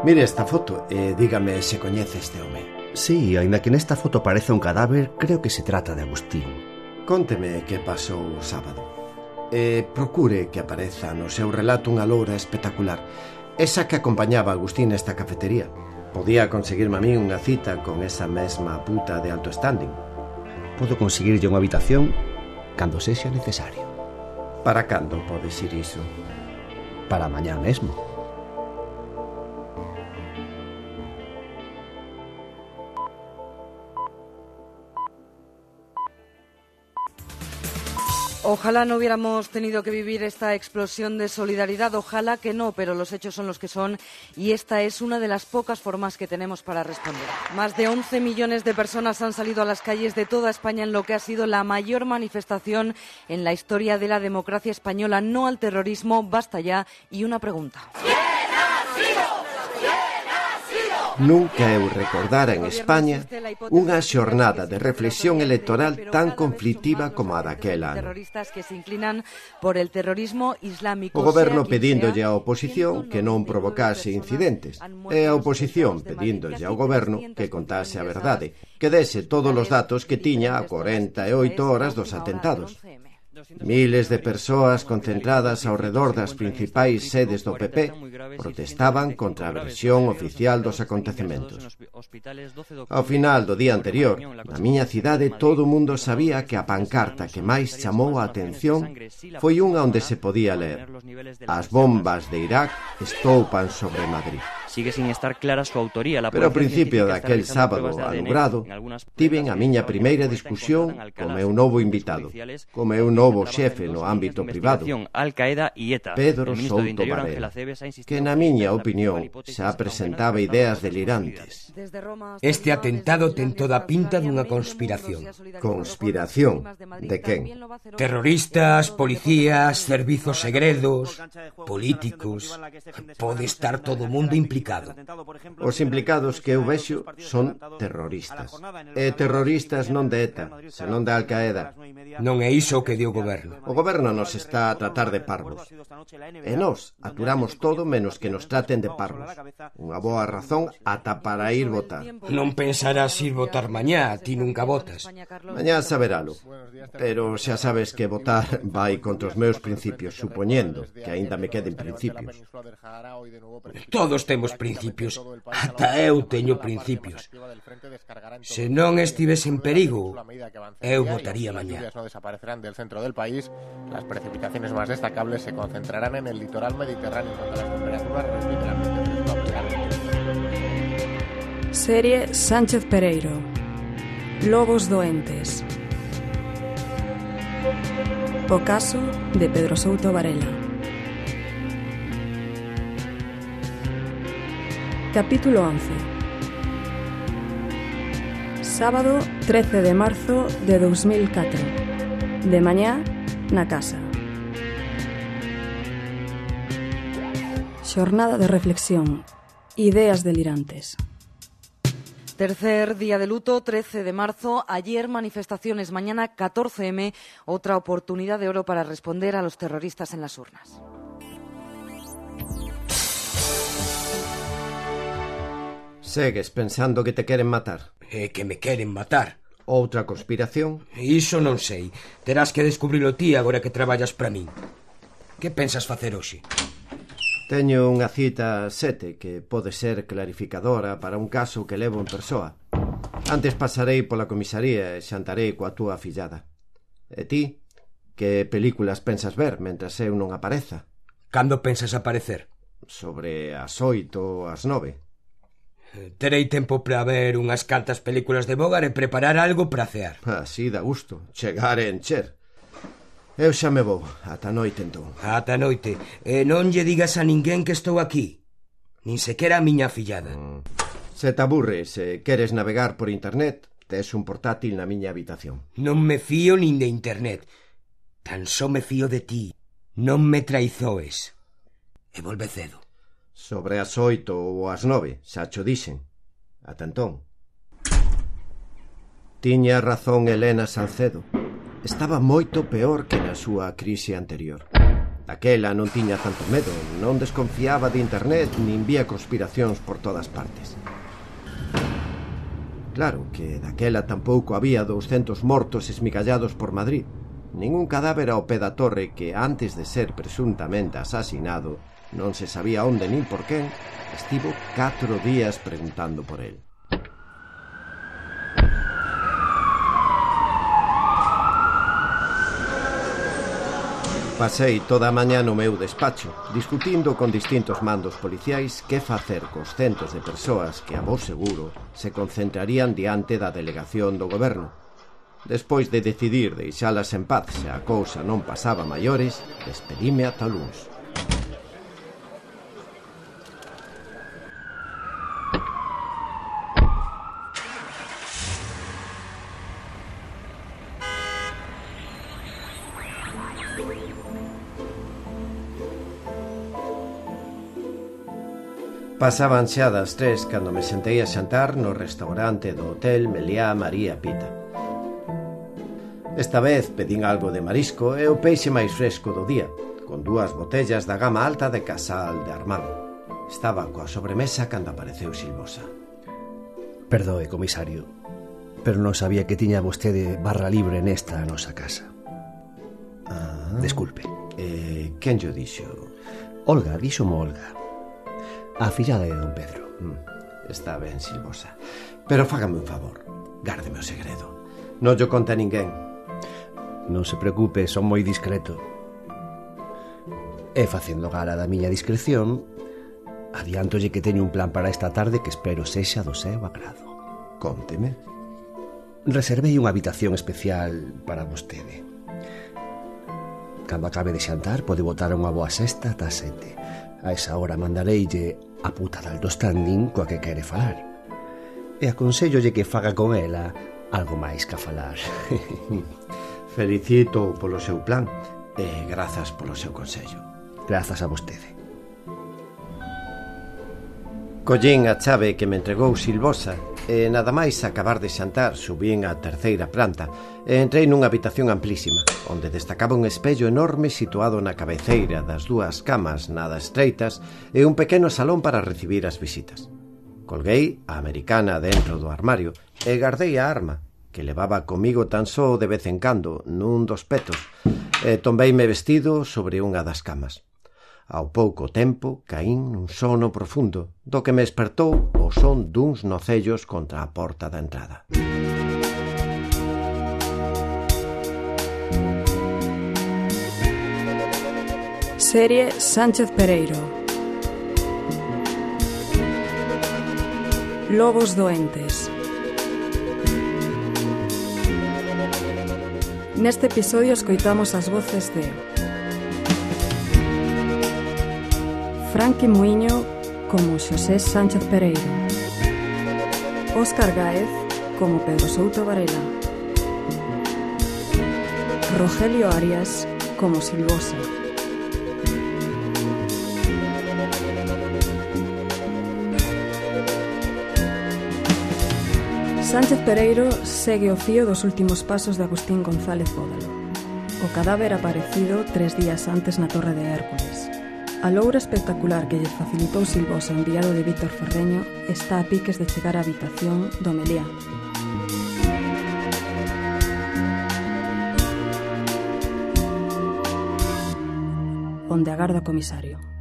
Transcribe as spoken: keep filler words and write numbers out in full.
Mire esta foto e dígame se coñece este home. Sí, aínda que nesta foto parece un cadáver, creo que se trata de Agustín. Cónteme que pasou o sábado. E procure que apareza no seu relato unha loura espectacular, esa que acompañaba a Agustín nesta cafetería. Podía conseguirme a mí unha cita con esa mesma puta de alto standing. Podo conseguirlle unha habitación cando sexa necesario. Para cando pode ser iso? Para mañá mesmo. Ojalá no hubiéramos tenido que vivir esta explosión de solidaridad, ojalá que no, pero los hechos son los que son y esta es una de las pocas formas que tenemos para responder. Más de once millones de personas han salido a las calles de toda España en lo que ha sido la mayor manifestación en la historia de la democracia española. No al terrorismo, basta ya, y una pregunta. Nunca eu recordara en España unha xornada de reflexión electoral tan conflictiva como a daquela ano. O goberno pedíndolle á oposición que non provocase incidentes e a oposición pedíndolle ao goberno que contase a verdade, que dese todos os datos que tiña a corenta e oito horas dos atentados. Miles de persoas concentradas ao redor das principais sedes do P P protestaban contra a versión oficial dos acontecementos. Ao final do día anterior, na miña cidade todo o mundo sabía que a pancarta que máis chamou a atención foi unha onde se podía ler: "As bombas de Irak estoupan sobre Madrid". Sigue sin estar clara su autoría. La Pero ao principio daquel sábado alubrado tiven a miña primeira discusión co meu novo invitado, co meu novo xefe no ámbito privado, Pedro Souto Varela, que na miña opinión xa presentaba ideas delirantes. Este atentado ten toda a pinta dunha conspiración. Conspiración? De quen? Terroristas, policías, servizos segredos, políticos. Pode estar todo o mundo implicado. Os implicados que eu vexo son terroristas. E terroristas non de ETA, senón de Al-Qaeda. Non é iso o que di o goberno. O goberno nos está a tratar de parvos. E nós aturamos todo menos que nos traten de parvos. Unha boa razón ata para ir votar. Non pensarás ir votar mañá, ti nunca votas. Mañá saberalo. Pero xa sabes que votar vai contra os meus principios, supoñendo que aínda me queden principios. Todos temos principios. Ata eu teño principios. Se non estivese en perigo, eu votaría mañá. No desaparecerán del centro del país. Las precipitaciones más destacables se concentrarán en el litoral mediterráneo, donde las temperaturas repetirán. Serie Sánchez Pereiro. Lobos doentes. O caso de Pedro Souto Varela. Capítulo once. Sábado trece de marzo de dos mil catro. De mañá, na casa. Xornada de reflexión. Ideas delirantes. Tercer día de luto, trece de marzo. Ayer manifestaciones, mañana catorce eme. Otra oportunidad de oro para responder a los terroristas en las urnas. Segues pensando que te queren matar? É que me queren matar. Outra conspiración? Iso non sei. Terás que descubrilo ti agora que traballas para min. Que pensas facer hoxe? Teño unha cita sete que pode ser clarificadora para un caso que levo en persoa. Antes pasarei pola comisaría e xantarei coa túa fillada. E ti? Que películas pensas ver mentras eu non apareza? Cando pensas aparecer? Sobre as oito ou as nove. Terei tempo para ver unhas cantas películas de Bogart e preparar algo para cear. Así dá gusto, chegar e encher. Eu xa me vou, ata noite entón. Ata noite. E non lle digas a ninguén que estou aquí. Nin sequera a miña fillada. Mm. Se te aburres e queres navegar por internet, tes un portátil na miña habitación. Non me fío nin de internet. Tan só me fío de ti. Non me traizoes. E volve cedo. Sobre as oito ou as nove, xa cho dixen. Ata entón. Tiña razón Elena Salcedo. Estaba moito peor que na súa crise anterior. Daquela non tiña tanto medo, non desconfiaba de internet nin vía conspiracións por todas partes. Claro que daquela tampouco había douscentos mortos esmigallados por Madrid, ningún cadáver ao pé da torre que, antes de ser presuntamente asasinado, non se sabía onde nin por quen, estivo catro días preguntando por el. Pasei toda a mañá no meu despacho, discutindo con distintos mandos policiais que facer cos centos de persoas que, a vos seguro, se concentrarían diante da delegación do goberno. Despois de decidir deixalas en paz se a cousa non pasaba maiores, despedime ata luns. Pasaban xa das tres cando me sentei a xantar no restaurante do hotel Meliá María Pita. Esta vez pedín algo de marisco e o peixe máis fresco do día, con dúas botellas da gama alta de Casal de Armán. Estaba coa sobremesa cando apareceu Silvosa. Perdoe, comisario, pero non sabía que tiña vostede barra libre nesta nosa casa. Ah, Desculpe. Eh, quen yo dixo? Olga, díxomo Olga, a fillada de don Pedro. Mm, está ben, Silvosa, pero fágame un favor, gárdeme o segredo. Non yo conta a ninguén. Non se preocupe, son moi discreto. E facendo gala da miña discreción, adiántolle que teño un plan para esta tarde que espero sexa do seu agrado. Cónteme. Reservei unha habitación especial para vostede. Cando acabe de xantar pode botar unha boa sesta ata sete. A esa hora mandareille a puta de alto standing coa que quere falar. E aconsellolle que faga con ela algo máis que a falar. Felicito polo seu plan e grazas polo seu consello. Grazas a vostede. Collín a chave que me entregou Silvosa e nada máis acabar de xantar subín á terceira planta e entrei nunha habitación amplísima onde destacaba un espello enorme situado na cabeceira das dúas camas nada estreitas e un pequeno salón para recibir as visitas. Colguei a americana dentro do armario e gardei a arma que levaba comigo tan só de vez en cando nun dos petos e tombeime vestido sobre unha das camas. Ao pouco tempo caín nun sono profundo, do que me espertou o son duns nocellos contra a porta da entrada. Serie Sánchez Pereiro. Lobos doentes. Neste episodio escoitamos as voces de Franqui Muiño como Xosé Sánchez Pereiro, Óscar Gáez como Pedro Souto Varela, Rogelio Arias como Silvosa, Sánchez Pereiro segue o fío dos últimos pasos de Agustín González Bódalo, o cadáver aparecido tres días antes na Torre de Hércules. A loura espectacular que lle facilitou Silvosa o enviado de Víctor Ferreño está a piques de chegar á habitación do Meliá. Onde agarda o comisario.